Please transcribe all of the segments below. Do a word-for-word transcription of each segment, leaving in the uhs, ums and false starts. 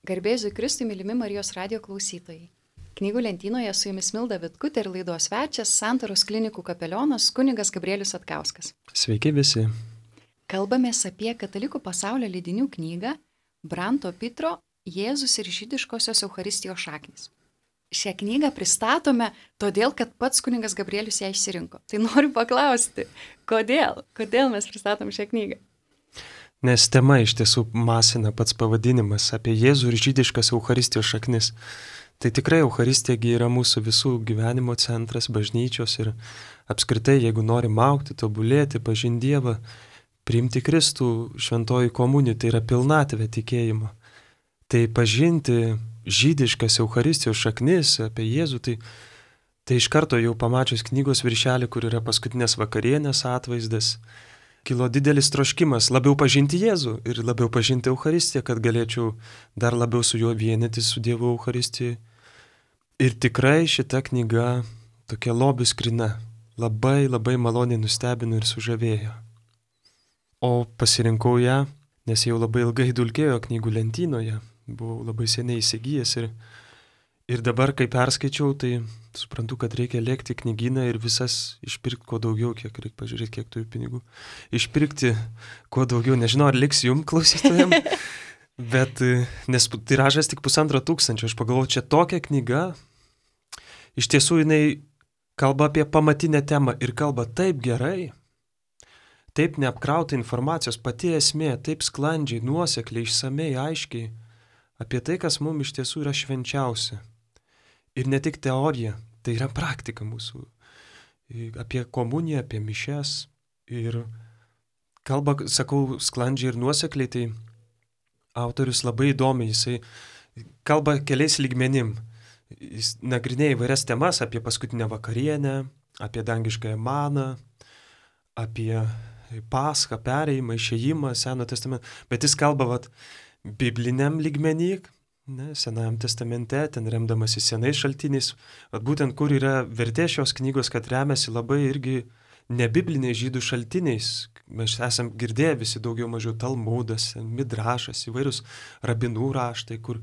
Garbėsiu Kristui, mylimi Marijos radio klausytojai. Knygų lentynoje su jumis Milda Vitkutė ir laidos svečias Santaros klinikų kapelionas kunigas Gabrielius Atkauskas. Sveiki visi. Kalbamės apie katalikų pasaulio leidinių knygą Branto Pitro Jėzus ir žydiškosios Eucharistijos šaknys. Šią knygą pristatome todėl, kad pats kunigas Gabrielius ją išsirinko. Tai noriu paklausti, kodėl? Kodėl mes pristatom šią knygą? Nes tema iš tiesų masina pats pavadinimas apie Jėzų ir žydiškas Eucharistijos šaknis. Tai tikrai Eucharistija yra mūsų visų gyvenimo centras, bažnyčios ir apskritai, jeigu norim augti, tobulėti, pažinti Dievą, priimti Kristų, šventoji komunija, tai yra pilnatvė tikėjimo. Tai pažinti žydiškas Eucharistijos šaknis apie Jėzų, tai, tai iš karto jau pamačius knygos viršelį, kur yra paskutinės vakarienės atvaizdas, kilo didelis troškimas labiau pažinti Jėzų ir labiau pažinti Eucharistiją, kad galėčiau dar labiau su juo vienytis su Dievu Eucharistijai. Ir tikrai šita knyga tokia lobių skrina, labai labai maloniai nustebino ir sužavėjo. O pasirinkau ją, nes jau labai ilgai dulkėjo knygų lentynoje, buvau labai seniai įsigijęs ir, ir dabar, kai perskaičiau, tai suprantu, kad reikia lėkti knygyną ir visas išpirkti kuo daugiau, kiek reikia pažiūrėti, kiek turiu pinigų. Išpirkti kuo daugiau, nežinau, ar liks jum klausytojam, bet nes tiražas tik pusantro tūkstančio, aš pagalvoju, čia tokia knyga, iš tiesų jinai kalba apie pamatinę temą ir kalba taip gerai, taip neapkrauta informacijos, pati esmė, taip sklandžiai, nuosekliai, išsamei, aiškiai, apie tai, kas mums iš tiesų yra švenčiausia. Ir ne tik teorija, tai yra praktika mūsų. Apie komuniją, apie mišias. Ir kalba, sakau, sklandžiai ir nuosekliai, tai autorius labai įdomiai, jisai kalba keliais lygmenim. Jis nagrinėja įvairias temas apie paskutinę vakarienę, apie dangiškąją maną, apie paschą, perėjimą, išėjimą, Seno testamento. Bet jis kalba vat, bibliniam lygmenį, ne, Senajam testamente, ten remdamasi senais šaltiniais, at būtent kur yra vertė šios knygos, kad remiasi labai irgi nebibliniais žydų šaltiniais. Mes esam girdėję visi daugiau mažiau Talmudas, Midrašas, įvairius rabinų raštai, kur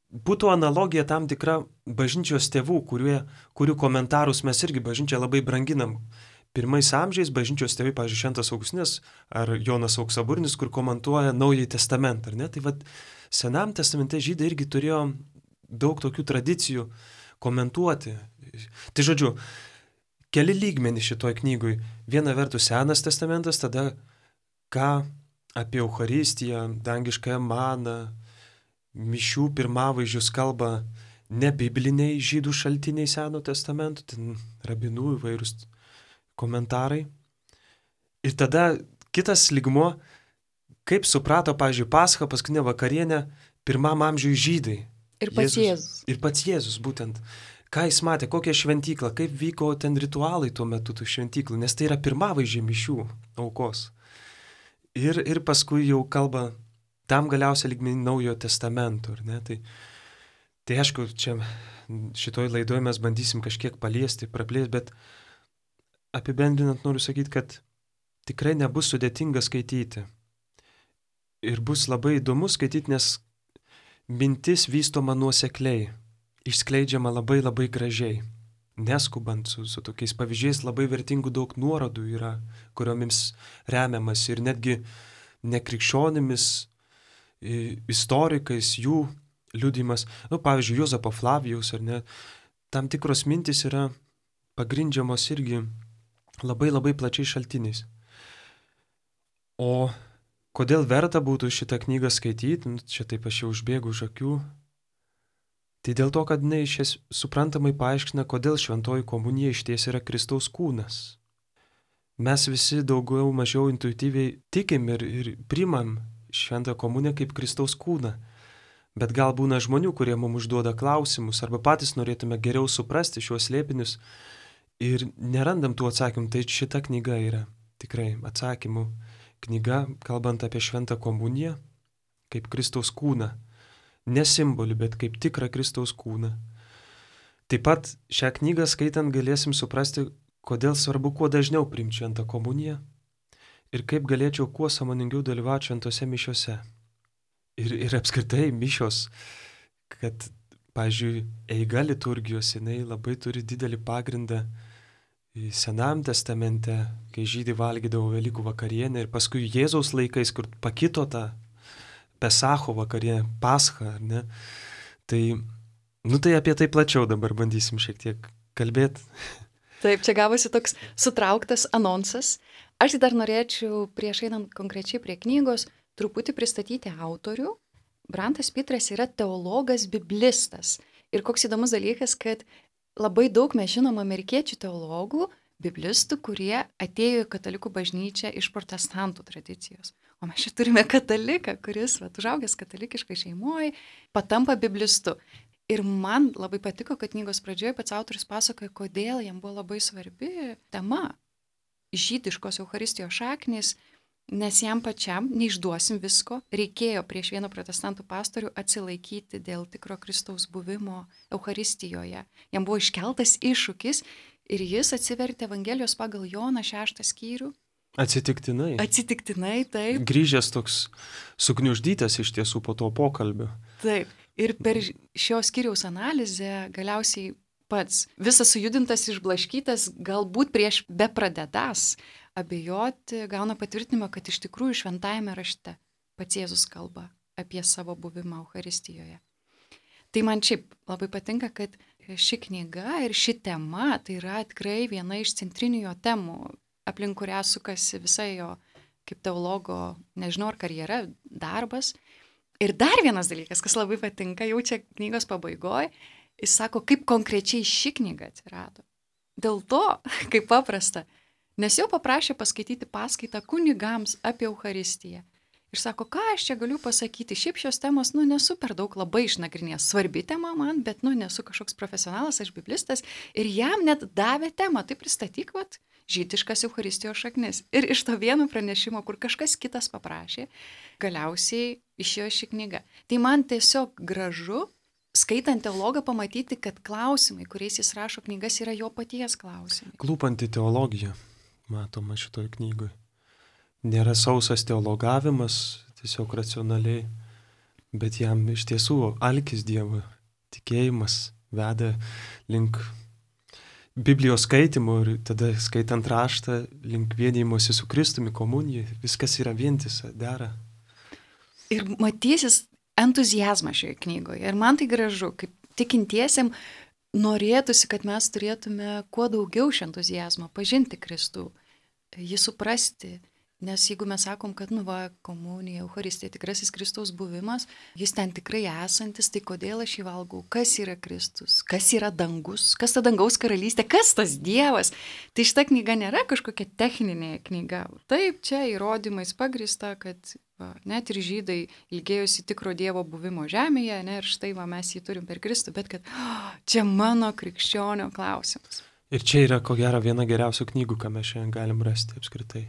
būtų analogija tam tikra bažnyčios tėvų, kurie, kurių komentarus mes irgi bažnyčią labai branginam. Pirmais amžiais bažnyčios tėvai, pavyzdžiui, Šventas Augustinas ar Jonas Auksaburnis, kur komentuoja Naująjį testamentą, ar ne? Tai vat Senam testamente žydai irgi turėjo daug tokių tradicijų komentuoti. Tai žodžiu, keli lygmenys šitoj knygui. Viena vertus Senas testamentas, tada ką apie Eucharistiją, dangiškąją maną, mišių pirmavaizdžius kalba ne bibliniai žydų šaltiniai Seno testamento, ten rabinų įvairūs komentarai. Ir tada kitas lygmuo, kaip suprato, pavyzdžiui, Paschą, paskutinę vakarienę, pirmam amžiui žydai. Ir pats Jėzus. Jėzus. Ir pats Jėzus, būtent. Ką jis matė, kokią šventyklą, kaip vyko ten ritualai tuo metu tų šventyklų, nes tai yra pirmavaizdžiai mišių aukos. Ir, ir paskui jau kalba tam galiausia lygmenį Naujojo testamento, ar ne? Tai, tai aišku, čia šitoj laidoje mes bandysim kažkiek paliesti, praplėsti, bet apibendrinant noriu sakyti, kad tikrai nebus sudėtinga skaityti. Ir bus labai įdomu skaityti, nes mintis vystoma nuosekliai, išskleidžiama labai labai gražiai, neskubant su, su tokiais pavyzdžiais, labai vertingų daug nuorodų yra, kuriomis remiamas ir netgi nekrikščionimis, istorikais, jų liudijimas, nu, pavyzdžiui, Juozapo Flavijaus, ar ne, tam tikros mintis yra pagrindžiamos irgi labai labai plačiai šaltiniais. O kodėl verta būtų šitą knygą skaityti, nu, čia taip aš jau užbėgu už akių, tai dėl to, kad jinai šias suprantamai paaiškina, kodėl šventoji komunija išties yra Kristaus kūnas. Mes visi daugiau mažiau intuityviai tikim ir, ir primam šventą komuniją kaip Kristaus kūną, bet gal būna žmonių, kurie mums užduoda klausimus arba patys norėtume geriau suprasti šiuos slėpinius ir nerandam tų atsakymų, tai šita knyga yra tikrai atsakymų knyga, kalbant apie šventą komuniją, kaip Kristaus kūną. Ne simbolį, bet kaip tikrą Kristaus kūną. Taip pat šią knygą skaitant galėsim suprasti, kodėl svarbu kuo dažniau priimti šventą komuniją ir kaip galėčiau kuo sąmoningiau dalyvauti šventose mišiose. Ir, ir apskritai mišios, kad, pavyzdžiui, eiga liturgijos, jinai labai turi didelį pagrindą Senajam testamente, kai žydai valgydavo Velykų vakarienę ir paskui Jėzaus laikais, kur pakito ta Pesacho vakarienė, Pascha, ar ne? Tai, nu tai apie tai plačiau dabar bandysim šiek tiek kalbėti. Taip, čia gavosi toks sutrauktas anonsas. Aš dar norėčiau, prieš einant konkrečiai prie knygos, truputį pristatyti autorių. Brantas Pitras yra teologas, biblistas. Ir koks įdomus dalykas, kad labai daug mes žinom amerikiečių teologų, biblistų, kurie atėjo į katalikų bažnyčią iš protestantų tradicijos. O mes čia turime kataliką, kuris, vat, užaugęs katalikiškai šeimoje, patampa biblistu. Ir man labai patiko, kad knygos pradžioje pats autorius pasakoja, kodėl jam buvo labai svarbi tema žydiškos Eucharistijos šaknys, nes jam pačiam, neišduosim visko, reikėjo prieš vieną protestantų pastorių atsilaikyti dėl tikro Kristaus buvimo Eucharistijoje. Jam buvo iškeltas iššūkis ir jis atsivertė Evangelijos pagal Joną šeštą skyrių. Atsitiktinai. Atsitiktinai, taip. Grįžęs toks sugniuždytas iš tiesų po to pokalbio. Taip. Ir per šio skyriaus analizę galiausiai pats visas sujudintas, išblaškytas, galbūt prieš bepradedas abejoti, gauna patvirtinimą, kad iš tikrųjų šventajame rašte pats Jėzus kalba apie savo buvimą Eucharistijoje. Tai man šiaip labai patinka, kad ši knyga ir ši tema tai yra tikrai viena iš centrinių jo temų, aplink kurią sukasi visa jo kaip teologo, nežinau ar karjera, darbas. Ir dar vienas dalykas, kas labai patinka, jau čia knygos pabaigoje, jis sako, kaip konkrečiai ši knyga atsirado. Dėl to, kaip paprasta, nes jau paprašė paskaityti paskaitą kunigams apie Eucharistiją. Ir sako, ką aš čia galiu pasakyti, šiaip šios temos, nu, nesu per daug labai išnagrinėjęs. Svarbi tema man, bet, nu, nesu kažkoks profesionalas, aš biblistas. Ir jam net davė temą, tai pristatyk, vat, žydiškas Eucharistijos šaknis. Ir iš to vieno pranešimo, kur kažkas kitas paprašė, galiausiai išėjo ši knyga. Tai man tiesiog gražu, skaitant teologą, pamatyti, kad klausimai, kuriais jis rašo knygas, yra jo paties klausimai. Klūpanti teologija, matoma šitoj knygoj. Nėra sausas teologavimas, tiesiog racionaliai, bet jam iš tiesų alkis Dievo, tikėjimas veda link Biblijos skaitimo ir tada skaitant raštą, link vienijimosi su Kristumi, komunijai, viskas yra vientisa, dera. Ir matysis entuziazmą šioje knygoje. Ir man tai gražu, kaip tikintiesiam norėtųsi, kad mes turėtume kuo daugiau šio entuziazmo, pažinti Kristų, jį suprasti. Nes jeigu mes sakom, kad, nu va, komunija, Eucharistija, tikrasis Kristaus buvimas, jis ten tikrai esantis, tai kodėl aš jį valgau? Kas yra Kristus? Kas yra dangus? Kas ta dangaus karalystė? Kas tas Dievas? Tai šita knyga nėra kažkokia techninė knyga. Taip, čia įrodymais pagrįsta, kad va, net ir žydai ilgėjosi tikro Dievo buvimo žemėje, ne, ir štai va, mes jį turim per Kristų, bet kad oh, čia mano krikščionio klausimas. Ir čia yra, ko gero, viena geriausių knygų, ką mes šiandien galim rasti apskritai.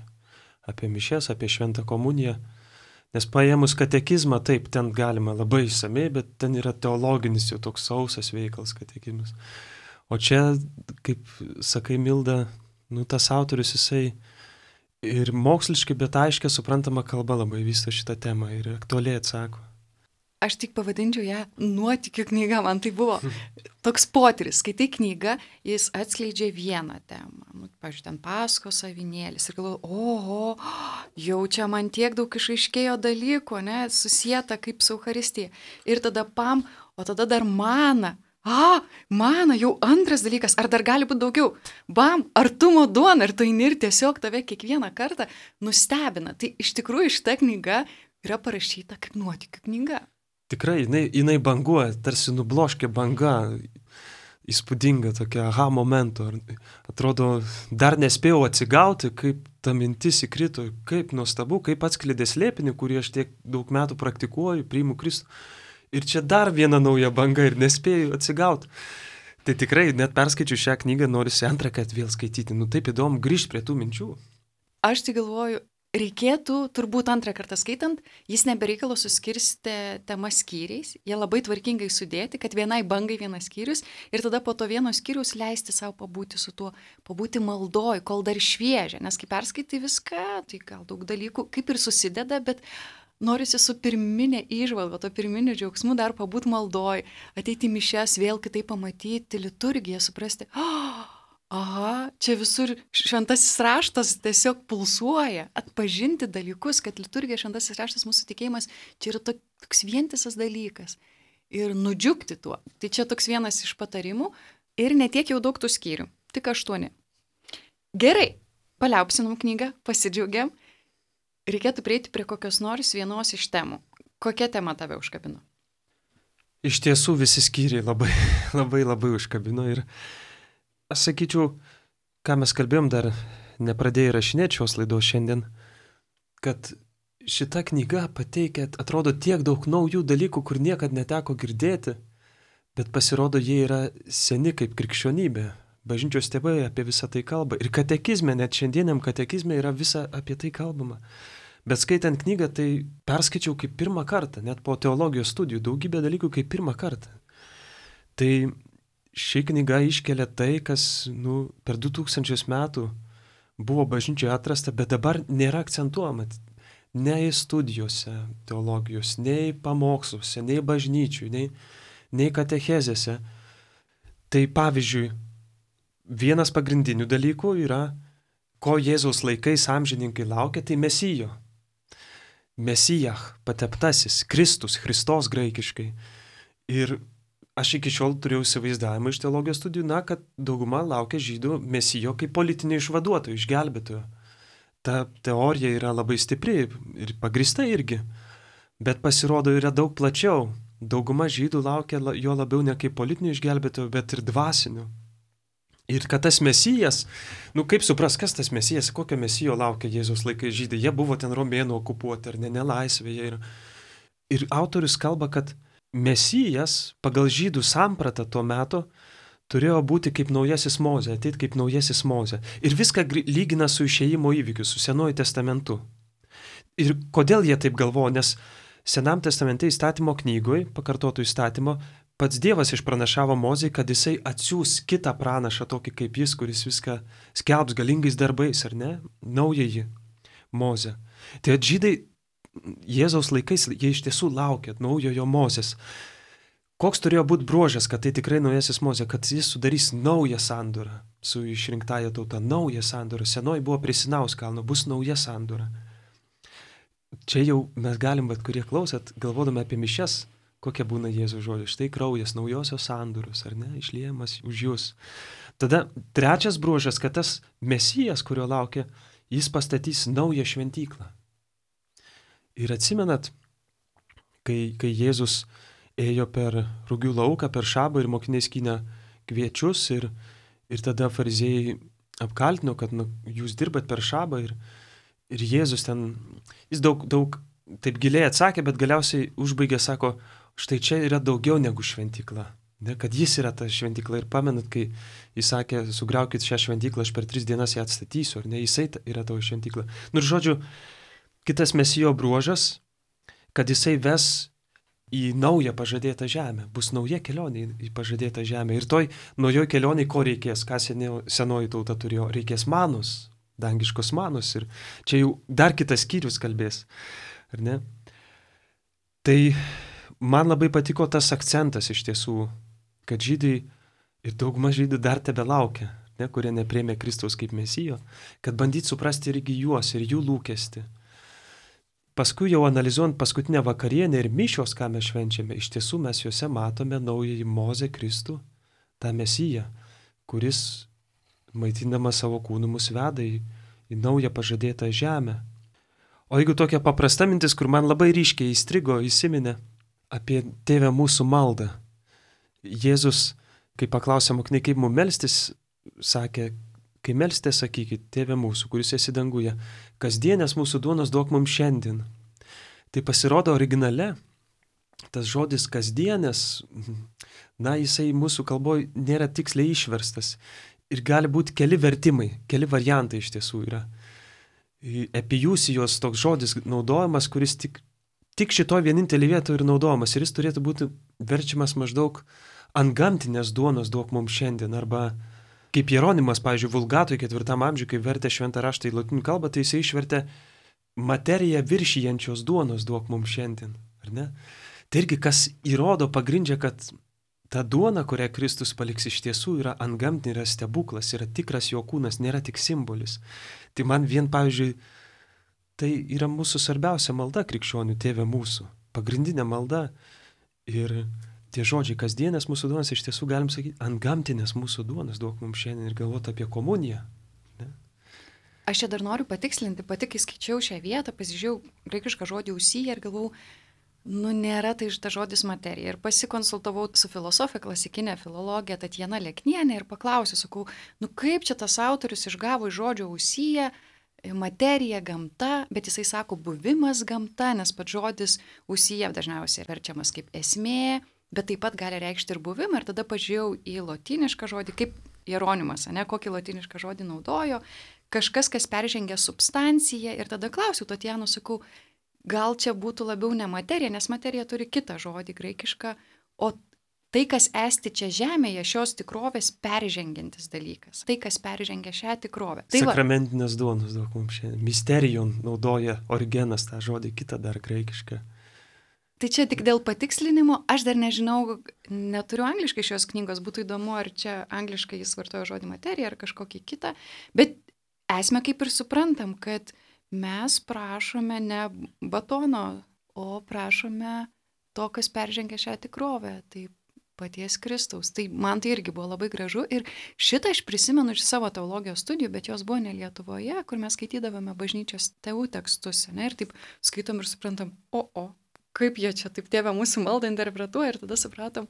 Apie mišias, apie šventą komuniją. Nes paėmus katekizmą, taip, ten galima labai išsamei, bet ten yra teologinis jau toks sausas veikals katekizmas. O čia, kaip sakai, Milda, nu tas autorius jisai ir moksliškai, bet aiškiai suprantama kalba labai vysto šitą temą ir aktualiai atsako. Aš tik pavadinčiau ją nuotykių knyga, man tai buvo toks potyris. Skaitai knygą, jis atskleidžia vieną temą. Nu, pavyzdžiui, ten Paskos avinėlis. Ir galvoju, oho, jau čia man tiek daug išaiškėjo dalykų, ne, susieta kaip su Eucharistija. Ir tada pam, o tada dar mana. A, mana, jau antras dalykas, ar dar gali būti daugiau? Bam, artumo duona, ir tu eini ir tiesiog tave kiekvieną kartą nustebina. Tai iš tikrųjų šita knyga yra parašyta kaip nuotykių knyga. Tikrai, jinai, jinai banguoja, tarsi nubloškia banga, įspūdinga tokia aha momento. Atrodo, dar nespėjau atsigauti, kaip ta mintis įkrito, kaip nuostabu, kaip atskleidė slėpinį, kurį aš tiek daug metų praktikuoju, priimu Kristų. Ir čia dar viena nauja banga ir nespėjau atsigauti. Tai tikrai, net perskaičiu šią knygą, norisi antrą, kad vėl skaityti. Nu taip įdomu grįžti prie tų minčių. Aš tai galvoju, reikėtų, turbūt antrą kartą skaitant, jis nebereikalo suskirstė temas skyriais, jie labai tvarkingai sudėti, kad vienai bangai vienas skyrius ir tada po to vieno skyrius leisti savo pabūti su tuo, pabūti maldoj, kol dar šviežia, nes kai perskaitai viską, tai gal daug dalykų kaip ir susideda, bet norisi su pirminė įžvalga, to pirminiu džiaugsmu dar pabūt maldoj, ateiti į mišes, vėl kitaip pamatyti liturgiją, suprasti, oh, aha, čia visur šventasis raštas tiesiog pulsuoja, atpažinti dalykus, kad liturgija, šventasis raštas, mūsų tikėjimas, čia yra toks vientisas dalykas. Ir nudžiugti tuo. Tai čia toks vienas iš patarimų ir netiek jau daug tų skyrių, tik aštuoni. Gerai, paliaupsinom knygą, pasidžiaugiam. Reikėtų prieiti prie kokios nors vienos iš temų. Kokia tema tave užkabino? Iš tiesų visi skyriai labai, labai, labai užkabino ir aš sakyčiau, ką mes kalbėjom dar, nepradėjai rašinėti šios laidos šiandien, kad šita knyga pateikia, atrodo, tiek daug naujų dalykų, kur niekad neteko girdėti, bet pasirodo, jie yra seni kaip krikščionybė. Bažnyčios tėvai apie visą tai kalba. Ir katekizme, net šiandieniam katekizme yra visa apie tai kalbama. Bet skaitant knygą, tai perskaičiau kaip pirmą kartą, net po teologijos studijų, daugybė dalykų kaip pirmą kartą. Tai ši knyga iškelia tai, kas nu, per du tūkstančius metų buvo bažnyčioje atrasta, bet dabar nėra akcentuojama. Nei studijose teologijos, nei pamoksluose, nei bažnyčių, nei, nei katechezėse. Tai pavyzdžiui, vienas pagrindinių dalykų yra, ko Jėzaus laikais amžininkai laukia, tai Mesijo. Mesijach, pateptasis, Kristus, Christos graikiškai. Ir aš iki šiol turėjau įsivaizdavimą iš teologijos studijų, na, kad dauguma laukia žydų Mesijo kaip politinio išvaduotojo, išgelbėtojo. Ta teorija yra labai stipri ir pagrįsta irgi, bet pasirodo yra daug plačiau. Dauguma žydų laukia jo labiau ne kaip politinių išgelbėtojų, bet ir dvasinių. Ir kad tas Mesijas, nu kaip supras, kas tas Mesijas, kokio Mesijo laukia Jėzaus laikai žydai, jie buvo ten romėnų okupuoti ar ne, nelaisvėje. Ir, ir autorius kalba, kad Mesijas pagal žydų sampratą tuo metu turėjo būti kaip naujasis Mozė, ateit kaip naujasis Mozė. Ir viską lygina su išėjimo įvykiu, su Senuoju testamentu. Ir kodėl jie taip galvoja? Nes Senam testamente įstatymo knygoje, pakartotų įstatymo, pats Dievas išpranašavo Mozei, kad jisai atsiūs kitą pranašą, tokį kaip jis, kuris viską skelbs galingais darbais, ar ne? Naująjį Mozę. Tai žydai Jėzaus laikais, jie iš tiesų laukia naujojo Mozės. Koks turėjo būti bruožas, kad tai tikrai naujasis Mozė, kad jis sudarys naują sandorą su išrinktąja tauta, naują sandorą. Senoji buvo prie Sinaus kalno, bus nauja sandora. Čia jau mes galim, bet kurie klausat, galvodami apie mišias, kokia būna Jėzaus žodžiai. Štai kraujas naujosios sandoros, ar ne, išliejamas už jūs. Tada trečias bruožas, kad tas Mesijas, kurio laukia, jis pastatys naują šventyklą. Ir atsimenat, kai, kai Jėzus ėjo per rugių lauką, per šabą ir mokiniai skynė kviečius ir, ir tada fariziejai apkaltino, kad nu, jūs dirbat per šabą ir, ir Jėzus ten, jis daug, daug taip giliai atsakė, bet galiausiai užbaigė, sako, štai čia yra daugiau negu šventykla, ne, kad jis yra ta šventykla ir pamenat, kai jis sakė, sugriaukit šią šventyklą, aš per tris dienas ją atstatysiu, ar ne, jisai yra tavo šventykla. Nu ir žodžiu, kitas Mesijo bruožas, kad jisai ves į naują pažadėtą žemę. Bus nauja kelionė į pažadėtą žemę. Ir toj naujoj kelionėj ko reikės, ką senoji tauta turėjo? Reikės manos, dangiškos manos. Ir čia jau dar kitas skyrius kalbės. Ar ne? Tai man labai patiko tas akcentas iš tiesų, kad žydai ir dauguma žydų dar tebe laukia, ne, kurie nepriėmė Kristaus kaip Mesijo, kad bandyt suprasti irgi juos ir jų lūkestį. Paskui jau analizuojant paskutinę vakarienę ir mišios, ką mes švenčiame, iš tiesų mes juose matome naująjį Mozę Kristų, tą Mesiją, kuris maitindama savo kūnu mus veda į, į naują pažadėtą žemę. O jeigu tokia paprasta mintis, kur man labai ryškiai įstrigo, įsiminė apie Tėvę mūsų maldą. Jėzus, kai paklausė mokiniai, kaip mums melstis, sakė, kai melsite, sakykit, Tėve mūsų, kuris esi danguje, kasdienės mūsų duonos duok mums šiandien. Tai pasirodo originale, tas žodis kasdienės, na, jisai mūsų kalboje nėra tiksliai išverstas. Ir gali būti keli vertimai, keli variantai iš tiesų yra. Epijusijos toks žodis naudojamas, kuris tik, tik šitoj vienintelį vietą ir naudojamas. Ir jis turėtų būti verčiamas maždaug antgamtinės duonos duok mums šiandien, arba kaip Jeronimas, pavyzdžiui, Vulgatoj ketvirtam amžiui, kai vertė šventą raštą į lotynų kalbą, tai jisai išvertė materiją viršijančios duonos duok mums šiandien, ar ne? Tai irgi kas įrodo, pagrindžia, kad ta duona, kurią Kristus paliks iš tiesų yra antgamtinė, yra stebuklas, yra tikras jo kūnas, nėra tik simbolis. Tai man vien, pavyzdžiui, tai yra mūsų svarbiausia malda krikščionių, tėve mūsų, pagrindinė malda. Ir tie žodžiai kasdienės mūsų duonas, iš tiesų galim sakyti, antgamtinės mūsų duonas duok mums šiandien ir galvoti apie komuniją. Ne? Aš čia dar noriu patikslinti, pati kai skaičiau šią vietą, pasižiūrėjau graikišką žodį usyje ir galvau, nu nėra tai iš ta žodis materija. Ir pasikonsultavau su filosofė, klasikinė filologė Tatjana Leknienė ir paklausiau, sakau, nu kaip čia tas autorius išgavo iš žodžio usyje materija, gamta, bet jisai sako buvimas gamta, nes pats žodis usyje dažniausiai verčiamas kaip esmė, bet taip pat gali reikšti ir buvimą. Ir tada pažiūrėjau į lotynišką žodį, kaip Jeronimas, ne, kokį lotynišką žodį naudojo, kažkas, kas peržengia substanciją. Ir tada klausiau Tatjanų, sakau, gal čia būtų labiau ne materija, nes materija turi kitą žodį graikišką, o tai, kas esti čia žemėje, šios tikrovės peržengiantis dalykas. Tai, kas peržengia šią tikrovę. Tai sakramentinės duonos daug mums šiandien. Misterijon naudoja Origenas tą žodį, kitą dar graikišką. Tai čia tik dėl patikslinimo, aš dar nežinau, neturiu angliškai šios knygos, būtų įdomu, ar čia angliškai jis vartojo žodį materija ar kažkokį kitą, bet esmę kaip ir suprantam, kad mes prašome ne batono, o prašome to, kas peržengia šią tikrovę, tai paties Kristaus. Tai man tai irgi buvo labai gražu ir šitą aš prisimenu iš savo teologijos studijų, bet jos buvo ne Lietuvoje, kur mes skaitydavome bažnyčios tėvų tekstus, ne, ir taip skaitom ir suprantam, o, o, kaip jie čia taip tėvę mūsų maldą interpretuoja ir tada supratom,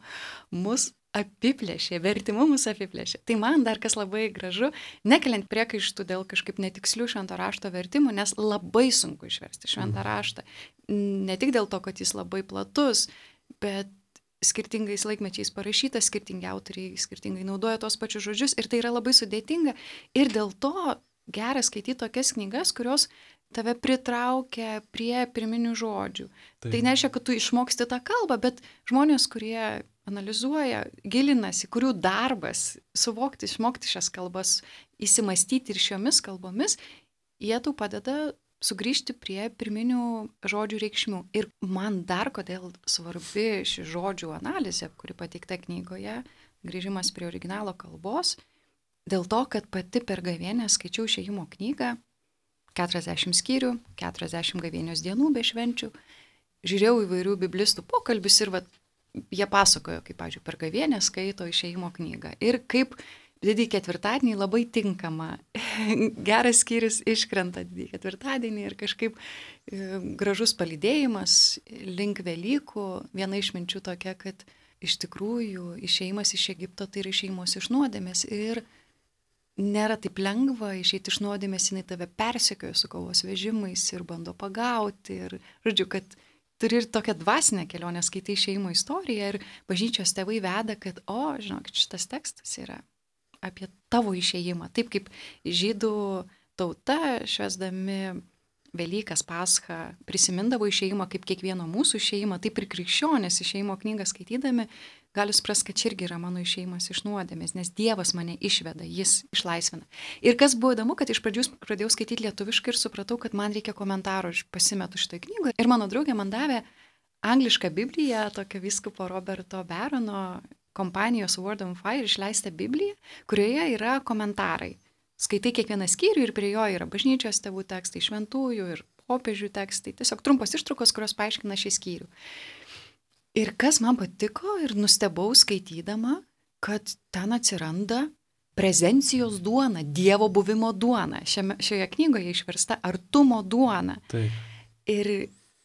mus apiplėšė, vertimu mus apiplėšė. Tai man dar kas labai gražu, nekeliant priekaištų dėl kažkaip netikslių švento rašto vertimų, nes labai sunku išversti šventą raštą. Ne tik dėl to, kad jis labai platus, bet skirtingais laikmečiais parašytas, skirtingi autoriai skirtingai naudoja tos pačius žodžius ir tai yra labai sudėtinga ir dėl to gera skaityti tokias knygas, kurios tave pritraukia prie pirminių žodžių. Tai, tai nereiškia, kad tu išmoksti tą kalbą, bet žmonės, kurie analizuoja, gilinasi, kurių darbas suvokti, išmokti šias kalbas, įsimastyti ir šiomis kalbomis, jie tau padeda sugrįžti prie pirminių žodžių reikšmių. Ir man dar kodėl svarbi ši žodžių analizė, kuri pateikta knygoje, grįžimas prie originalo kalbos, dėl to, kad pati per gavėnią skaičiau išėjimo knygą, keturiasdešimt skyrių, keturiasdešimt gavėnios dienų be švenčių, žiūrėjau įvairių biblistų pokalbius ir vat, jie pasakojo, kaip, pavyzdžiui, per gavėnę skaito išėjimo knygą. Ir kaip didįjį ketvirtadienį labai tinkama. Geras skyrius iškrenta didįjį ketvirtadienį ir kažkaip e, gražus palydėjimas link Velykų. Viena iš minčių tokia, kad iš tikrųjų išėjimas iš Egipto tai yra išėjimas iš nuodėmės. Ir nėra taip lengva išeiti iš nuodėmės, jinai tave persekioja su kovos vežimais ir bando pagauti. Ir, žodžiu, kad turi ir tokią dvasinę kelionę, skaitai išėjimo istoriją ir bažnyčios tėvai veda, kad, o, žinok, šitas tekstas yra apie tavo išėjimą. Taip kaip žydų tauta, švęsdami Velykas, Paschą, prisimindavo išėjimą kaip kiekvieno mūsų išėjimą, taip ir krikščionės išėjimo knygą skaitydami, gali suprasti, kad čia irgi yra mano išėjimas iš nuodėmės, nes Dievas mane išveda, jis išlaisvina. Ir kas buvo įdomu, kad iš pradžių pradėjau skaityti lietuviškai ir supratau, kad man reikia komentaro, aš pasimetu šitą knygą. Ir mano draugė man davė anglišką Bibliją, tokio vyskupo Roberto Berono kompanijos Word on Fire išleistą Bibliją, kurioje yra komentarai. Skaitai kiekvieną skyrių ir prie jo yra bažnyčios tėvų tekstai, šventųjų ir popiežių tekstai. Tiesiog trumpos ištraukos, kurios paaiškina šį skyrių. Ir kas man patiko ir nustebau skaitydama, kad ten atsiranda prezencijos duona, Dievo buvimo duona. Šiame, šioje knygoje išversta artumo duona. Taip. Ir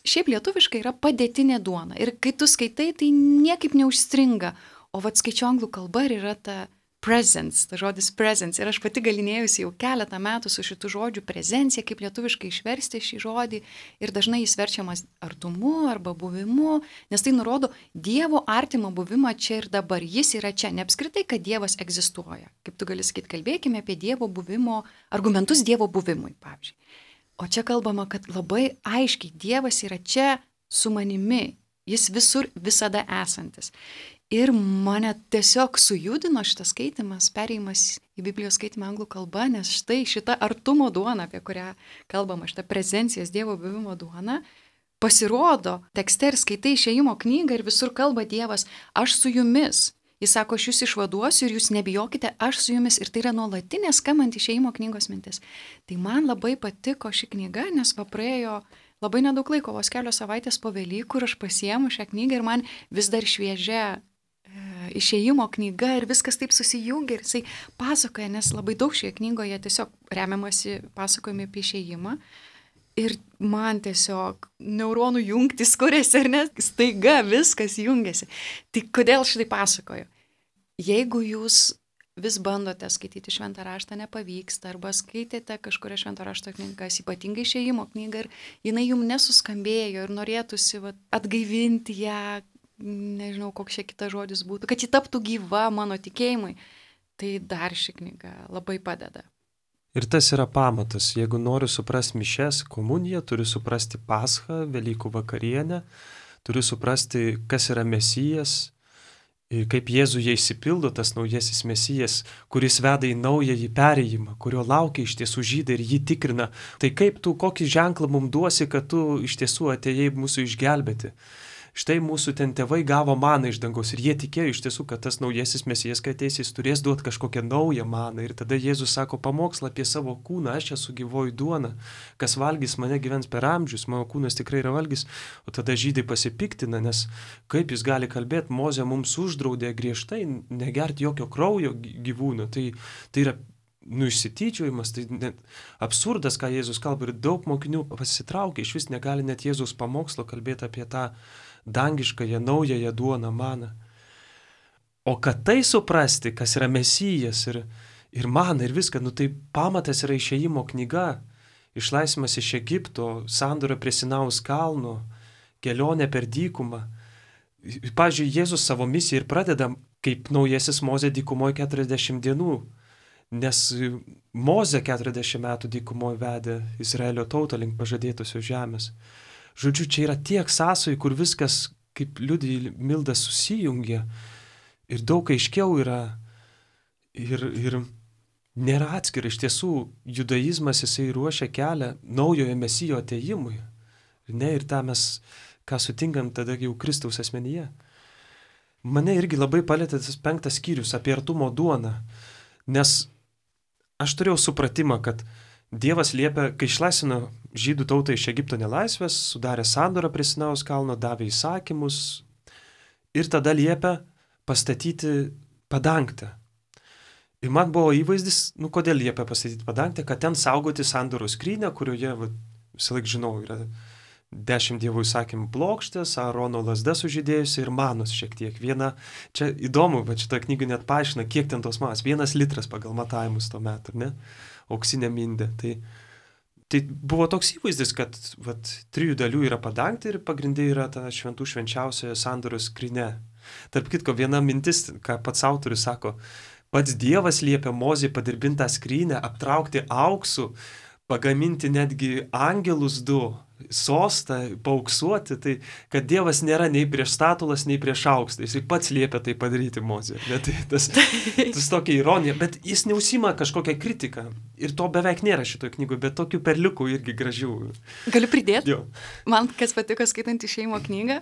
šiaip lietuviškai yra padėtinė duona. Ir kai tu skaitai, tai niekaip neužstringa. O vat skaičiu anglų kalba ir yra ta presence, ta žodis presence. Ir aš pati galinėjusi jau keletą metų su šitų žodžių prezencija, kaip lietuviškai išversti šį žodį. Ir dažnai jis verčiamas artumu arba buvimu, nes tai nurodo Dievo artimo buvimą čia ir dabar. Jis yra čia, ne apskritai, kad Dievas egzistuoja. Kaip tu gali sakyti, kalbėkime apie Dievo buvimo, argumentus Dievo buvimui, pavyzdžiui. O čia kalbama, kad labai aiškiai Dievas yra čia su manimi. Jis visur visada esantis. Ir mane tiesiog sujudino šitas skaitimas, perėjimas į Biblijos skaitimą anglų kalba, nes štai šita artumo duona, apie kurią kalbama, šita prezencijos Dievo buvimo duona, pasirodo tekste ir skaitai Išėjimo knygą ir visur kalba Dievas, aš su jumis. Jis sako, aš jūs išvaduosiu ir jūs nebijokite, aš su jumis. Ir tai yra nuolatinė skambant Išėjimo knygos mintis. Tai man labai patiko ši knyga, nes va praėjo labai nedaug laiko, vos kelios savaitės po Velykų, ir aš pasiėmu šią knygą ir man vis dar šviežia e, Išėjimo knyga ir viskas taip susijungia ir jisai pasakoja, nes labai daug šioje knygoje tiesiog remiamasi pasakojami apie Išėjimą. Ir man tiesiog neuronų jungtis kuriasi, ar ne, staiga viskas jungiasi. Tai kodėl šitai pasakoju? Jeigu jūs vis bandote skaityti šventą raštą, nepavyksta, arba skaitėte kažkuria švento rašto knygas, ypatingai Išėjimo knygą, ir jinai jums nesuskambėjo ir norėtųsi va, atgaivinti ją, nežinau, koks čia kitas žodis būtų, kad ji taptų gyva mano tikėjimui, tai dar ši knyga labai padeda. Ir tas yra pamatas. Jeigu noriu suprasti mišes, komuniją, turiu suprasti Paschą, Velykų vakarienę, turiu suprasti, kas yra Mesijas, ir kaip Jėzuje išsipildo tas naujasis Mesijas, kuris veda į naująjį perėjimą, kurio laukia iš tiesų žydai ir jį tikrina. Tai kaip tu, kokį ženklą mums duosi, kad tu iš tiesų atėjai mūsų išgelbėti. Štai mūsų ten tėvai gavo maną iš dangaus ir jie tikėjo iš tiesų, kad tas naujasis Mesijas, kai ateis, jis turės duoti kažkokią naują maną. Ir tada Jėzus sako pamokslą apie savo kūną, aš esu gyvoji duona, kas valgys mane gyvens per amžius, mano kūnas tikrai yra valgys. O tada žydai pasipiktina, nes kaip jis gali kalbėti, Mozė mums uždraudė griežtai negerti jokio kraujo gyvūno. Tai, tai yra nu, išsityčiojimas, tai net absurdas, ką Jėzus kalba, ir daug mokinių pasitraukia, iš vis negali net Jėzus pamokslo kalbėti apie tą dangiškąją, naująją duoną, maną. O kad tai suprasti, kas yra Mesijas ir, ir mana ir viską, nu tai pamatas yra Išėjimo knyga, išlaisvimas iš Egipto, sandora prie Sinaus kalno, kelionė per dykumą. Pavyzdžiui, Jėzus savo misiją ir pradeda kaip naujasis Mozė dykumoje keturiasdešimt dienų, nes Mozė keturiasdešimt metų dykumoje vedė Izraelio tautą link pažadėtosios žemės. Žodžiu, čia yra tiek sąsojų, kur viskas, kaip liudija Milda, susijungia ir daug aiškiau yra ir, ir nėra atskira. Iš tiesų, judaizmas jisai ruošia kelią naujojo Mesijo atėjimui. Ne, ir tą mes, ką sutinkam tada jau Kristaus asmenyje. Mane irgi labai palėtė tas penktas skyrius apie artumo duoną, nes aš turėjau supratimą, kad Dievas liepia, kai išlaisvino žydų tautą iš Egipto nelaisvės, sudarė sandorą prie Sinaus kalno, davė įsakymus ir tada liepia pastatyti padangtę. Ir man buvo įvaizdis, nu kodėl liepia pastatyti padangtę, kad ten saugoti sandoros skrynią, kurioje, va, visą laik žinau, yra dešimt Dievo įsakymų plokštės, Aarono lazda sužydėjusi ir manos šiek tiek. Viena, čia įdomu, bet šitą knygą net paaiškina, kiek ten tos manos. Vienas litras pagal matavimus tuo metu, ne? Auksinė mindė. Tai, tai buvo toks įvaizdis, kad vat, trijų dalių yra padangtė ir pagrindai yra ta šventų švenčiausioje sandoros skrynia. Tarp kitko, viena mintis, ką pats autorius sako, pats Dievas liepia Mozei padirbintą skrynę, aptraukti auksu, pagaminti netgi angelus du, sostą, paauksuoti, tai kad Dievas nėra nei prieš statulas, nei prieš aukštą. Jis pats liepia tai padaryti Mozei. Tai tas, tas tokia ironija, bet jis neusima kažkokią kritiką. Ir to beveik nėra šitoje knygoje, bet tokių perliukų irgi gražių. Galiu pridėti? Jo. Man kas patiko skaitant Išėjimo knygą,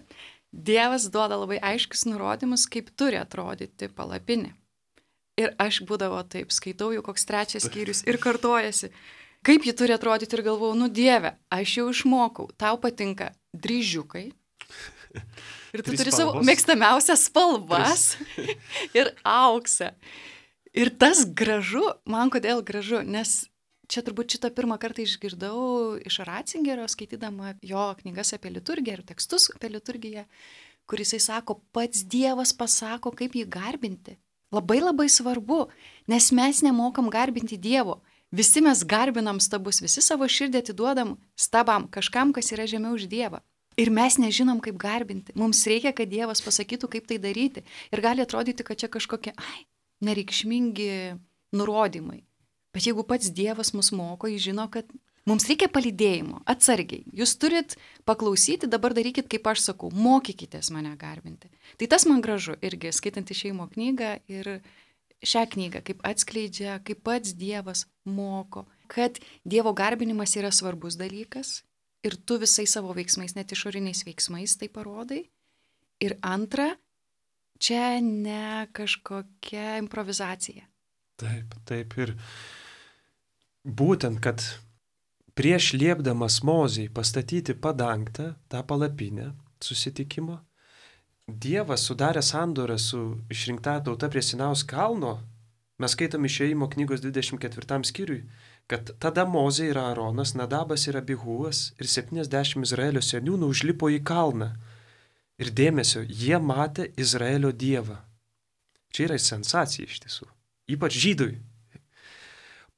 Dievas duoda labai aiškius nurodymus, kaip turi atrodyti palapinė. Ir aš būdavo taip, skaitau jau koks trečias skyrius ir kartojasi. Kaip ji turi atrodyti ir galvau, nu Dieve, aš jau išmokau, tau patinka dryžiukai ir tu turi savo mėgstamiausias spalvas ir auksą. Ir tas gražu, man kodėl gražu, nes čia turbūt šitą pirmą kartą išgirdau iš Ratzingerio, skaitydama jo knygas apie liturgiją ir tekstus apie liturgiją, kur jisai sako, pats Dievas pasako, kaip jį garbinti. Labai labai svarbu, nes mes nemokam garbinti Dievo. Visi mes garbinam stabus, visi savo širdį atiduodam stabam, kažkam, kas yra žemiau už Dievą. Ir mes nežinom, kaip garbinti. Mums reikia, kad Dievas pasakytų, kaip tai daryti. Ir gali atrodyti, kad čia kažkokie, ai, nereikšmingi nurodymai. Bet jeigu pats Dievas mus moko, jis žino, kad Mums reikia palydėjimo, atsargiai. Jūs turit paklausyti, dabar darykit, kaip aš sakau, mokykitės mane garbinti. Tai tas man gražu irgi, skaitant išėjimo knygą ir šią knygą, kaip atskleidžia, kaip pats Dievas moko, kad Dievo garbinimas yra svarbus dalykas ir tu visais savo veiksmais, net išoriniais veiksmais tai parodai. Ir antra, čia ne kažkokia improvizacija. Taip, taip. Ir būtent, kad prieš liepdamas Mozei pastatyti padangtą, tą palapinę susitikimo, Dievas sudarė sandorą su išrinktąja tauta prie Sinajaus kalno. Mes skaitom Išėjimo knygos dvidešimt ketvirtam skyriui, kad tada Mozė ir Aaronas, Nadabas ir Abihuas ir septyniasdešimt Izraelio seniūnų užlipo į kalną. Ir dėmesio, jie matė Izraelio Dievą. Čia yra sensacija iš tiesų, ypač žydui.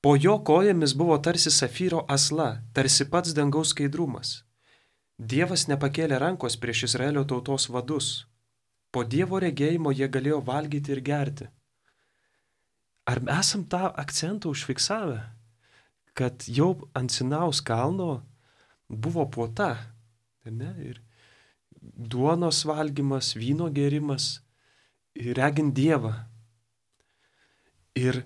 Po jo kojomis buvo tarsi safyro asla, tarsi pats dangaus skaidrumas. Dievas nepakėlė rankos prieš Izraelio tautos vadus. Po Dievo regėjimo jie galėjo valgyti ir gerti. Ar esam tą akcentą užfiksavę, kad jau ant Sinajaus kalno buvo puota, ne? Ir duonos valgymas, vyno gėrimas, regint Dievą. Ir,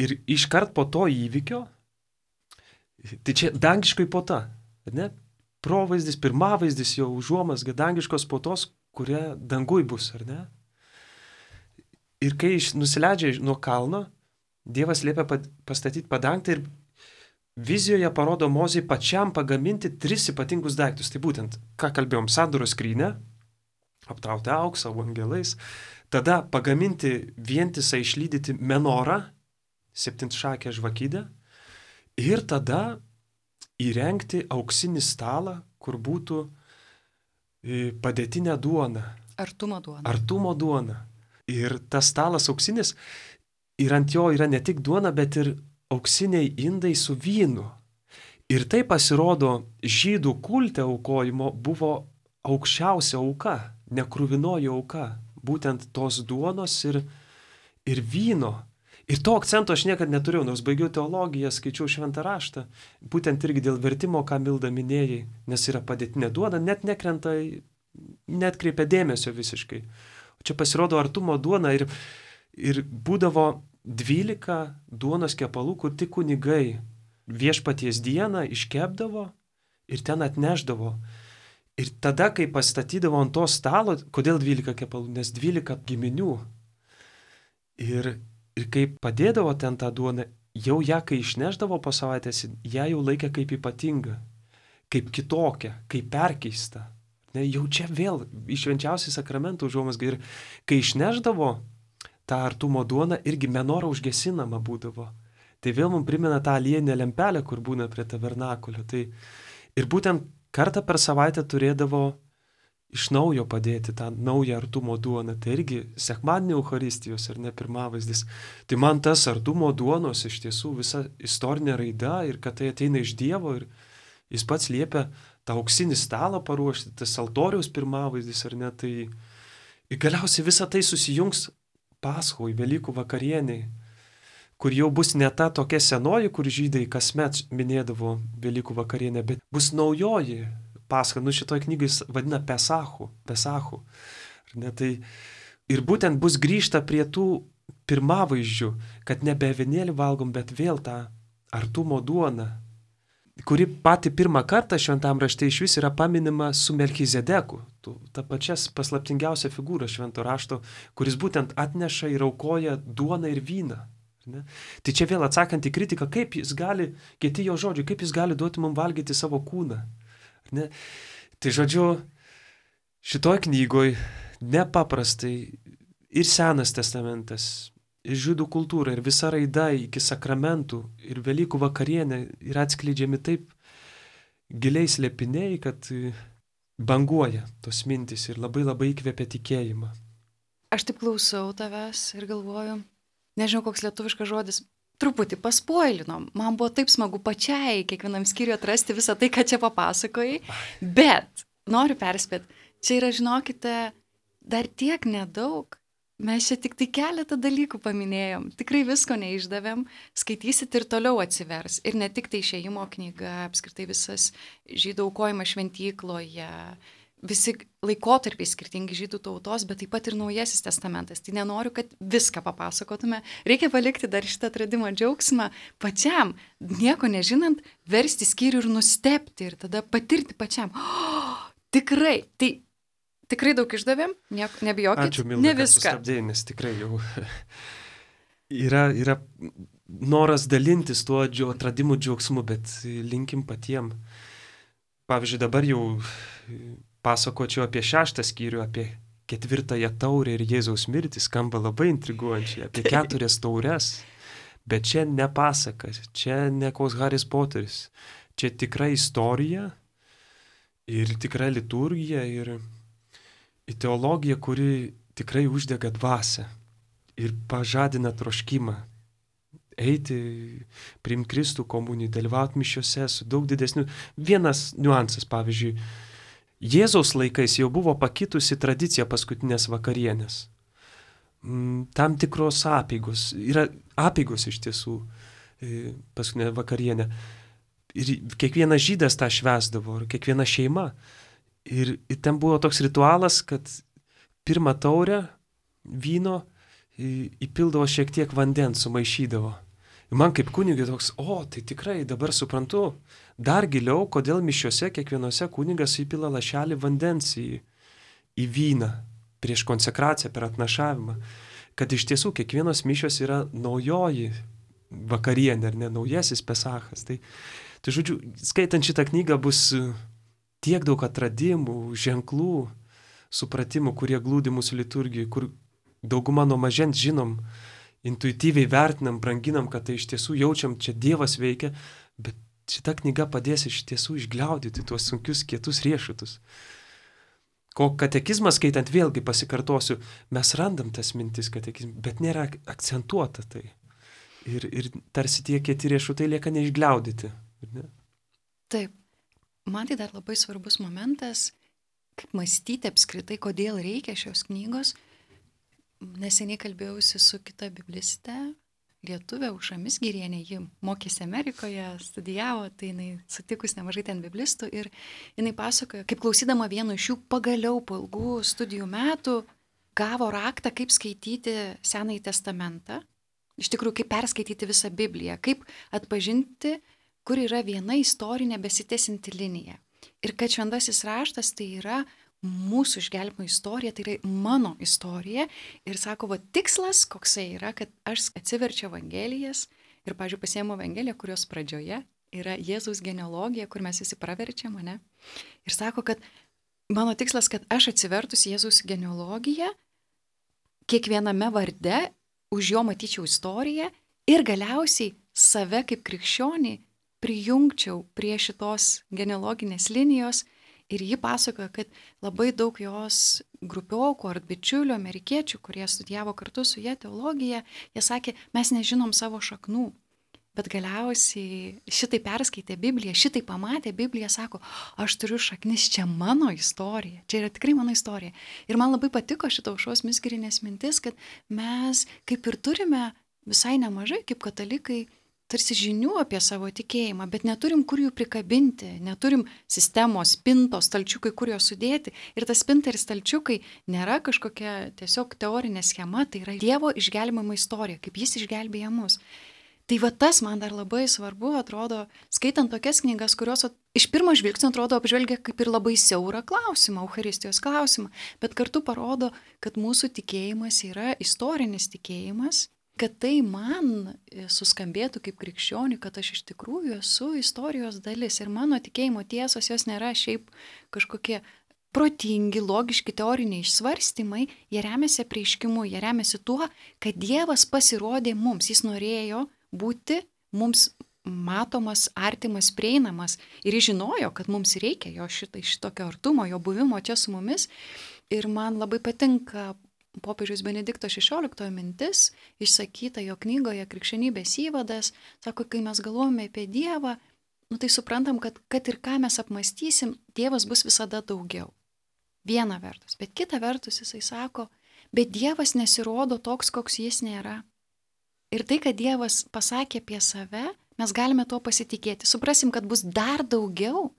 ir iškart po to įvykio, tai čia dangiškai puota, ne? Provaizdis, pirmavaizdis jau užuomazga dangiškos puotos, kurie dangui bus, ar ne? Ir kai nusileidžia nuo kalno, Dievas liepia pastatyti padangtą ir vizijoje parodo Mozei pačiam pagaminti tris ypatingus daiktus. Tai būtent, ką kalbėjom, sandoros skrynią, aptrautę auksą, angelais, tada pagaminti vientisą išlydyti menorą, septintšakę žvakidę, ir tada įrengti auksinį stalą, kur būtų padėtinė duona. Artumo duona. Artumo duona. Ir tas stalas auksinis, ir ant jo yra ne tik duona, bet ir auksiniai indai su vynu. Ir tai pasirodo, žydų kulte aukojimo buvo aukščiausia auka, nekruvinoji auka, būtent tos duonos ir, ir vyno. Ir to akcento aš niekad neturėjau, nors baigiau teologiją, skaičiau šventą raštą, būtent irgi dėl vertimo, ką Milda minėjai, nes yra padėtinė duona, net nekrenta, net kreipia dėmesio visiškai. O čia pasirodo artumo duona ir, ir būdavo dvylika duonos kepalų, kur tik kunigai viešpaties dieną iškepdavo ir ten atneždavo. Ir tada, kai pastatydavo ant to stalo, kodėl dvylika kepalų? Nes dvylika giminių. Ir, ir kai padėdavo ten tą duoną, jau ją, kai išneždavo po savaitės, ją jau laikė kaip ypatingą, kaip kitokią, kaip perkeistą. Ne, jau čia vėl išvenčiausiai sakramentų užuomazga. Ir kai išneždavo tą artumo duoną, irgi menora užgesinama būdavo. Tai vėl mums primena tą aliejinę lempelę, kur būna prie tabernakulio. Tai ir būtent kartą per savaitę turėdavo iš naujo padėti tą naują artumo duoną. Tai irgi sekmadienio Eucharistijos ar ne pirmavaizdis. Tai man tas artumo duonos iš tiesų visa istorinė raida ir kad tai ateina iš Dievo ir jis pats liepia tą auksinį stalą paruošti, tas altoriaus pirmavaizdis ar ne. Tai ir galiausiai visa tai susijungs Paschoj, Velykų vakarieniai, kur jau bus ne ta tokia senoji, kur žydai kasmet minėdavo Velykų vakarienę, bet bus naujoji Pascha. Nu šitoj knygai vadina Pesachu, Pesachu. Ne, tai, ir būtent bus grįžta prie tų pirmavaizdžių, kad nebe avinėlį valgom, bet vėl tą artumo duoną, kuri pati pirmą kartą šventam rašte iš vis yra paminima su Melchizedeku, ta pačia paslaptingiausia figūra švento rašto, kuris būtent atneša ir aukoja duoną ir vyną. Ne? Tai čia vėl atsakant į kritiką, kaip jis gali, kiti jo žodžiai, kaip jis gali duoti mums valgyti savo kūną. Ne? Tai žodžiu, šitoj knygoj nepaprastai ir Senas testamentas, ir žydų kultūra, ir visa raida iki sakramentų, ir Velykų vakarienė yra atskleidžiami taip giliai slėpiniai, kad banguoja tos mintys ir labai labai įkvepia tikėjimą. Aš taip klausau tavęs ir galvoju, nežinau koks lietuviškas žodis, truputį paspoilinom. Man buvo taip smagu pačiai kiekvienam skyriui atrasti visą tai, ką čia papasakojai, bet noriu perspėti, čia yra, žinokite, dar tiek nedaug Mes čia tik tai keletą dalykų paminėjom, tikrai visko neišdavėm, skaitysit ir toliau atsivers. Ir ne tik tai Išėjimo knyga, apskritai visas žydų aukojimas šventykloje, visi laikotarpiai skirtingi žydų tautos, bet taip pat ir Naujasis testamentas. Tai nenoriu, kad viską papasakotume. Reikia palikti dar šitą atradimo džiaugsmą pačiam, nieko nežinant, versti skyrių ir nustebti ir tada patirti pačiam. Oh, tikrai, tai tikrai daug išdavėm, nieko, nebijokit. Ačiū, Milda, ne kad viską. sustabdėjai, nes tikrai jau yra, yra noras dalintis tuo džio, atradimų džiaugsmu, bet linkim patiem. Pavyzdžiui, dabar jau pasakočiau apie šeštą skyrių, apie ketvirtąją taurę ir Jėzaus mirtį, skamba labai intriguojančiai, apie keturias taures, bet čia ne pasakas, čia ne koks Haris Poteris, čia tikra istorija ir tikra liturgija ir teologija, kuri tikrai uždega dvasią ir pažadina troškimą eiti, priimti Kristų komuniją, dalyvauti mišiose su daug didesniu. Vienas niuansas, pavyzdžiui, Jėzaus laikais jau buvo pakitusi tradicija paskutinės vakarienės. Tam tikros apeigos, yra apeigos iš tiesų paskutinė vakarienė. Ir kiekvienas žydas tą švęsdavo, ir kiekviena šeima. Ir, ir ten buvo toks ritualas, kad pirmą taurę vyno įpildavo šiek tiek vandens, sumaišydavo. Ir man kaip kunigui toks, o, tai tikrai dabar suprantu dar giliau, kodėl mišiuose kiekvienose kunigas įpila lašelį vandens į, į vyną prieš konsekraciją, per atnašavimą. Kad iš tiesų kiekvienos mišios yra naujoji vakarienė, ar ne, naujasis Pesachas. Tai, tai žodžiu, skaitant šitą knygą bus tiek daug atradimų, ženklų, supratimų, kurie glūdi mūsų liturgijai, kur daugumą nuo mažens žinom, intuityviai vertinam, branginam, kad tai iš tiesų jaučiam, čia Dievas veikia, bet šita knyga padės iš tiesų išgliaudyti tuos sunkius, kietus riešutus. Ko katekizmas skaitant, vėlgi pasikartosiu, mes randam tas mintis katekizmą, bet nėra akcentuota tai. Ir, ir tarsi tie kieti riešutai lieka neišgliaudyti. Ne? Taip. Man tai dar labai svarbus momentas, kaip mąstyti apskritai, kodėl reikia šios knygos. Neseniai kalbėjausi su kita bibliste, lietuvė Aušra Mizgirienė, ji mokėsi Amerikoje, studijavo, tai jinai sutikus nemažai ten biblistų ir jinai pasakojo, kaip klausydama vieno iš jų pagaliau po ilgų studijų metų gavo raktą, kaip skaityti Senąjį testamentą, iš tikrųjų, kaip perskaityti visą Bibliją, kaip atpažinti, kur yra viena istorinė besitęsianti linija. Ir kad šventasis raštas tai yra mūsų išgelbėjimo istorija, tai yra mano istorija. Ir sako, va tikslas koksai yra, kad aš atsiverčiu Evangelijas ir, pavyzdžiui, pasiėmu Evangeliją, kurios pradžioje yra Jėzaus genealogija, kur mes visi praverčiam, ne? Ir sako, kad mano tikslas, kad aš atsivertus Jėzaus genealogiją, kiekviename varde už jo matyčiau istoriją ir galiausiai save kaip krikščionį prijungčiau prie šitos genealoginės linijos ir ji pasakoja, kad labai daug jos grupiokų ar bičiulių, amerikiečių, kurie studijavo kartu su jie teologiją, jie sakė, mes nežinom savo šaknų, bet galiausiai šitai perskaitė Bibliją, šitai pamatė Bibliją, sako, aš turiu šaknis, čia mano istorija, čia yra tikrai mano istorija. Ir man labai patiko šito Aušros Mizgirienės mintis, kad mes kaip ir turime visai nemažai kaip katalikai tarsi žinių apie savo tikėjimą, bet neturim kur jų prikabinti, neturim sistemos, spintos, stalčiukai, kur juos sudėti. Ir tas spinta ir stalčiukai nėra kažkokia tiesiog teorinė schema, tai yra Dievo išgelbėjimo istorija, kaip jis išgelbėja mus. Tai va tas man dar labai svarbu, atrodo, skaitant tokias knygas, kurios iš pirmo žvilgsnio atrodo apžvelgia kaip ir labai siaurą klausimą, Eucharistijos klausimą, bet kartu parodo, kad mūsų tikėjimas yra istorinis tikėjimas, kad tai man suskambėtų kaip krikščioniui, kad aš iš tikrųjų esu istorijos dalis ir mano tikėjimo tiesos jos nėra šiaip kažkokie protingi, logiški teoriniai išsvarstymai, jie remiasi apreiškimu, jie remiasi tuo, kad Dievas pasirodė mums, jis norėjo būti mums matomas, artimas, prieinamas ir jis žinojo, kad mums reikia jo šitai, šitokio artumo, jo buvimo čia su mumis ir man labai patinka popiežiaus Benedikto šešioliktojo mintis, išsakyta jo knygoje Krikščionybės įvadas, sako, kai mes galvojame apie Dievą, nu tai suprantam, kad, kad ir ką mes apmąstysim, Dievas bus visada daugiau. Viena vertus, bet kita vertus jisai sako, bet Dievas nesirodo toks, koks jis nėra. Ir tai, kad Dievas pasakė apie save, mes galime tuo pasitikėti. Suprasim, kad bus dar daugiau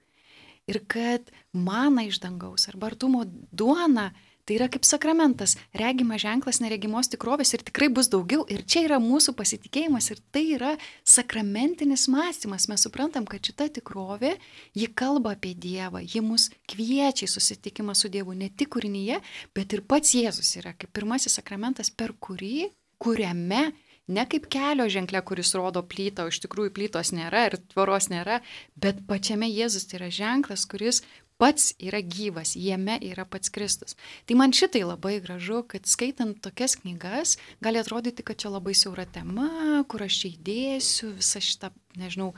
ir kad mana iš dangaus arba artumo duona, tai yra kaip sakramentas, regimas ženklas neregimos tikrovės ir tikrai bus daugiau. Ir čia yra mūsų pasitikėjimas ir tai yra sakramentinis mąstymas. Mes suprantam, kad šita tikrovė, ji kalba apie Dievą, ji mus kviečia į susitikimą su Dievu ne tik kūrinyje, bet ir pats Jėzus yra kaip pirmasis sakramentas, per kurį, kuriame, ne kaip kelio ženklė, kuris rodo plytą, o iš tikrųjų plytos nėra ir tvoros nėra, bet pačiame Jėzus tai yra ženklas, kuris pats yra gyvas, jame yra pats Kristus. Tai man šitai labai gražu, kad skaitant tokias knygas, gali atrodyti, kad čia labai siaura tema, kur aš čia įdėsiu visą šitą, nežinau,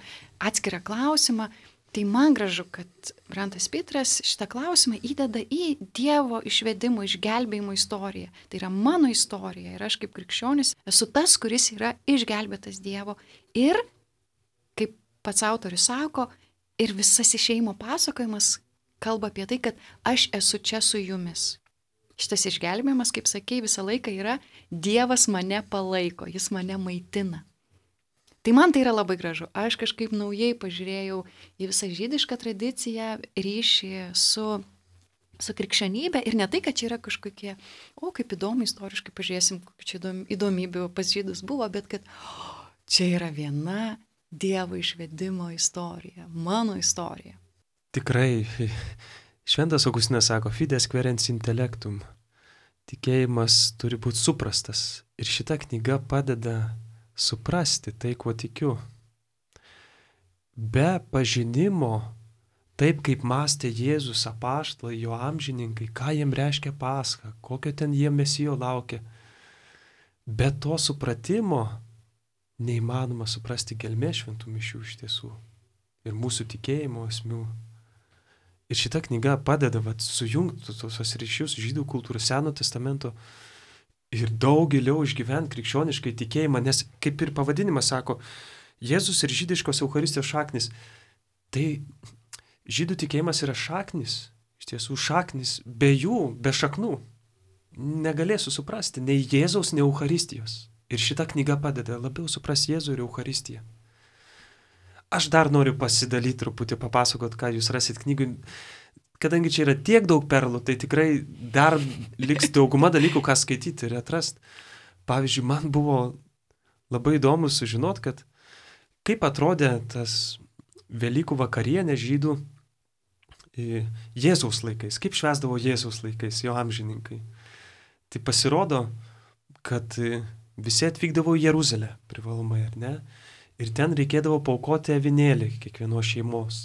atskirą klausimą. Tai man gražu, kad Brantas Pitras šitą klausimą įdeda į Dievo išvedimo, išgelbėjimo istoriją. Tai yra mano istorija ir aš kaip krikščionis esu tas, kuris yra išgelbėtas Dievo. Ir, kaip pats autorius sako, ir visas išėjimo pasakojimas kalba apie tai, kad aš esu čia su jumis. Šitas išgelbėjimas, kaip sakei, visą laiką yra Dievas mane palaiko, jis mane maitina. Tai man tai yra labai gražu. Aš kažkaip naujai pažiūrėjau į visą žydišką tradiciją, ryšį su, su krikščionybė ir ne tai, kad čia yra kažkokie, o kaip įdomu istoriškai pažiūrėsim, kokių čia įdomybių pas žydus buvo, bet kad o, čia yra viena Dievo išvedimo istorija, mano istorija. Tikrai, šventas Augustinas sako, fides querens intellectum. Tikėjimas turi būti suprastas ir šita knyga padeda suprasti tai, kuo tikiu. Be pažinimo, taip kaip mąstė Jėzus, apaštalai, jo amžininkai, ką jiem reiškia Pascha, kokio ten jie Mesijo laukia, be to supratimo neįmanoma suprasti gelmės šventų mišių iš tiesų ir mūsų tikėjimo esmių. Ir šita knyga padeda vat, sujungti tos ryšius žydų kultūros, Seno testamento ir daug giliau išgyventi krikščioniškai tikėjimą, nes kaip ir pavadinimas sako, Jėzus ir žydiškos Eucharistijos šaknis. Tai žydų tikėjimas yra šaknis, iš tiesų šaknis, be jų, be šaknų negalėsiu suprasti nei Jėzaus, nei Eucharistijos. Ir šita knyga padeda labiau suprasti Jėzų ir Eucharistiją. Aš dar noriu pasidalyti truputį, papasakot, ką jūs rasit knygui. Kadangi čia yra tiek daug perlų, tai tikrai dar liks dauguma dalykų, ką skaityti ir atrasti. Pavyzdžiui, man buvo labai įdomu sužinot, kad kaip atrodė tas Velykų vakarienė žydų Jėzaus laikais, kaip švęsdavo Jėzaus laikais, jo amžininkai. Tai pasirodo, kad visi atvykdavo į Jeruzalę privalomai, ar ne? Ir ten reikėdavo paaukoti avinėlį kiekvienos šeimos.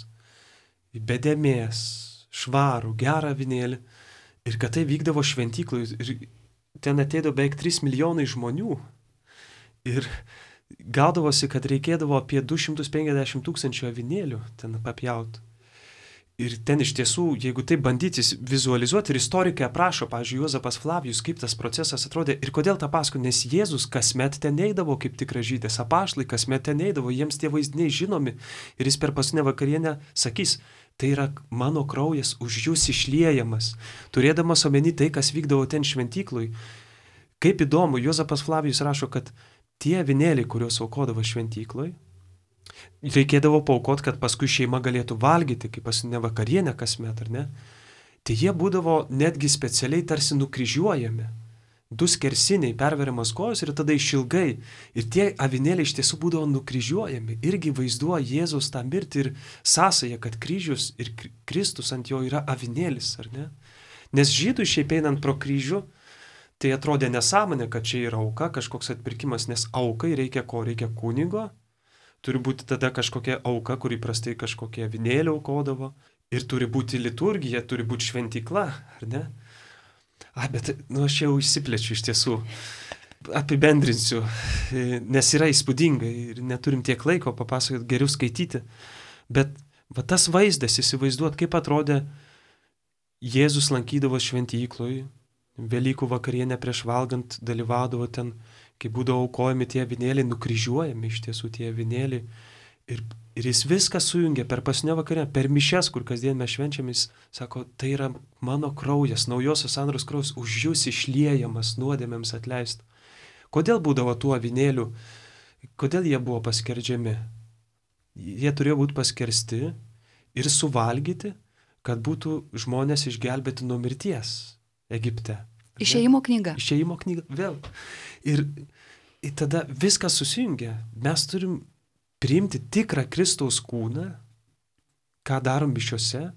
Be dėmės, švarų, gerą avinėlį. Ir kad tai vykdavo šventyklui. Ir ten ateidavo beveik trys milijonai žmonių. Ir gaudavosi, kad reikėdavo apie du šimtus penkiasdešimt tūkstančių avinėlių ten papjauti. Ir ten iš tiesų, jeigu tai bandyti vizualizuoti, ir istorikai aprašo, pavyzdžiui, Juozapas Flavijus, kaip tas procesas atrodė ir kodėl tą pasako, nes Jėzus kasmet ten eidavo kaip tikras žydas, apaštalai kasmet ten eidavo, jiems tie vaizdiniai žinomi ir jis per paskutinę vakarienę sakys, tai yra mano kraujas už jūs išliejamas, turėdamas omeny tai, kas vykdavo ten šventyklui. Kaip įdomu, Juozapas Flavijus rašo, kad tie avinėliai, kuriuos aukodavo šventyklui, reikėdavo paaukoti, kad paskui šeima galėtų valgyti, kaip paskutinę vakarienę kasmet, ar ne? Tai jie būdavo netgi specialiai tarsi nukryžiuojami. Du skersiniai, perveriamas kojos ir tada išilgai. Ir tie avinėliai iš tiesų būdavo nukryžiuojami. Irgi vaizduoja Jėzaus tą mirtį ir sąsają, kad kryžius ir Kristus ant jo yra avinėlis, ar ne? Nes žydų šiaip einant pro kryžių, tai atrodė nesąmonė, kad čia yra auka, kažkoks atpirkimas, nes aukai reikia ko? Reikia kunigo. Turi būti tada kažkokia auka, kur įprastai kažkokie avinėliai aukodavo. Ir turi būti liturgija, turi būti šventykla, ar ne? A, bet, nu, aš jau išsiplečiu iš tiesų. Apibendrinsiu, nes yra įspūdingai ir neturim tiek laiko papasakoti, geriau skaityti. Bet va, tas vaizdas, įsivaizduot, kaip atrodė Jėzus lankydavo šventykloj, Velykų vakarienę prieš valgant dalyvaudavo ten, kai būdavo aukojami tie avinėliai, nukryžiuojami iš tiesų tie avinėliai. Ir, ir jis viską sujungia per paskutinę vakarę, per mišias, kur kasdien mes švenčiam, jis sako, tai yra mano kraujas, naujosios sandoros kraujas, už jūs išliejamas nuodėmėms atleist. Kodėl būdavo tų avinėlių? Kodėl jie buvo paskerdžiami? Jie turėjo būti paskersti ir suvalgyti, kad būtų žmonės išgelbėti nuo mirties Egipte. Išėjimo knyga. Išėjimo knyga, vėl. Ir, ir tada viskas susijungia. Mes turim priimti tikrą Kristaus kūną, ką darom mišiose,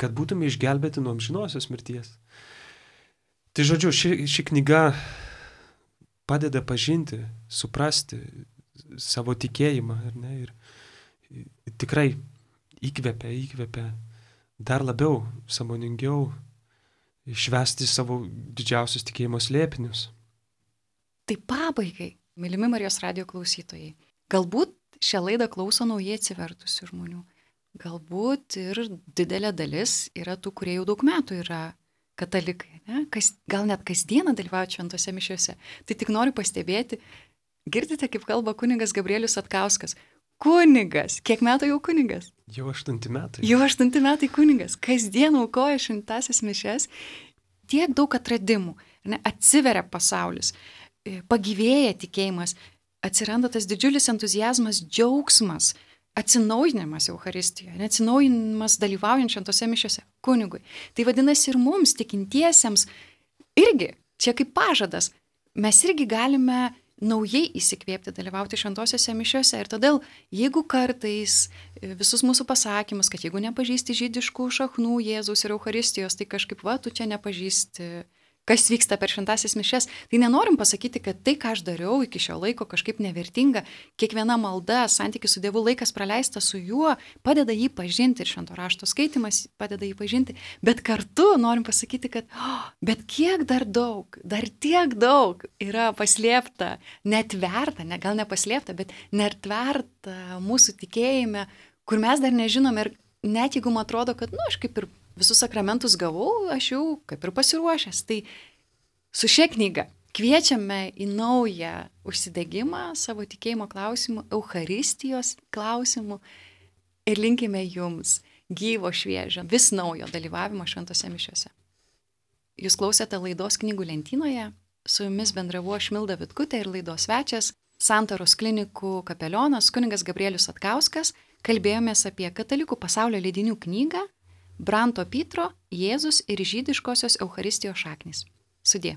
kad būtume išgelbėti nuo amžinosios mirties. Tai žodžiu, ši, ši knyga padeda pažinti, suprasti savo tikėjimą, ar ne? Ir, ir tikrai įkvepia, įkvepia dar labiau, sąmoningiau švęsti savo didžiausius tikėjimo slėpinius. Tai pabaigai, mylimi Marijos radijo klausytojai, galbūt šią laidą klauso naujai atsivertusių žmonių. Galbūt ir didelė dalis yra tų, kurie jau daug metų yra katalikai, ne? Kas, gal net kasdieną dalyvauja šventose mišiose. Tai tik noriu pastebėti, girdite, kaip kalba kunigas Gabrielius Satkauskas. Kunigas, kiek metų jau kunigas? Jau aštunti metai. Jau aštunti metai kunigas, kasdien aukoja šventąsias mišias, tiek daug atradimų, ne? Atsiveria pasaulis, pagyvėja tikėjimas, atsiranda tas didžiulis entuziazmas, džiaugsmas, atsinaujinimas Eucharistijoje, atsinaujinimas dalyvaujant šventose mišiose kunigui. Tai vadinasi ir mums, tikintiesiems, irgi, čia kaip pažadas, mes irgi galime naujai įsikvėpti, dalyvauti šventosiose mišiose. Ir todėl, jeigu kartais visus mūsų pasakymus, kad jeigu nepažįsti žydiškų šaknų Jėzaus ir Eucharistijos, tai kažkaip, va, tu čia nepažįsti, kas vyksta per šventąsias mišias, tai nenorim pasakyti, kad tai, ką aš dariau iki šio laiko, kažkaip nevertinga. Kiekviena malda, santykis su Dievu, laikas praleistas su juo, padeda jį pažinti ir švento rašto skaitimas padeda jį pažinti. Bet kartu norim pasakyti, kad oh, bet kiek dar daug, dar tiek daug yra paslėpta, netverta, ne, gal nepaslėpta, bet netverta mūsų tikėjime, kur mes dar nežinome ir net jeigu man atrodo, kad, nu, aš kaip ir visus sakramentus gavau, aš jau kaip ir pasiruošęs. Tai su šia knyga kviečiame į naują užsidegimą savo tikėjimo klausimų, Eucharistijos klausimų ir linkime jums gyvo, šviežio, vis naujo dalyvavimo šventose mišiose. Jūs klausėte laidos Knygų lentynoje, su jumis bendravau aš Milda Vitkutė ir laidos svečias, Santaros klinikų kapelionas kunigas Gabrielius Satkauskas. Kalbėjomės apie katalikų pasaulio leidinių knygą Branto Pitro, Jėzus ir žydiškosios Eucharistijos šaknys. Sudie.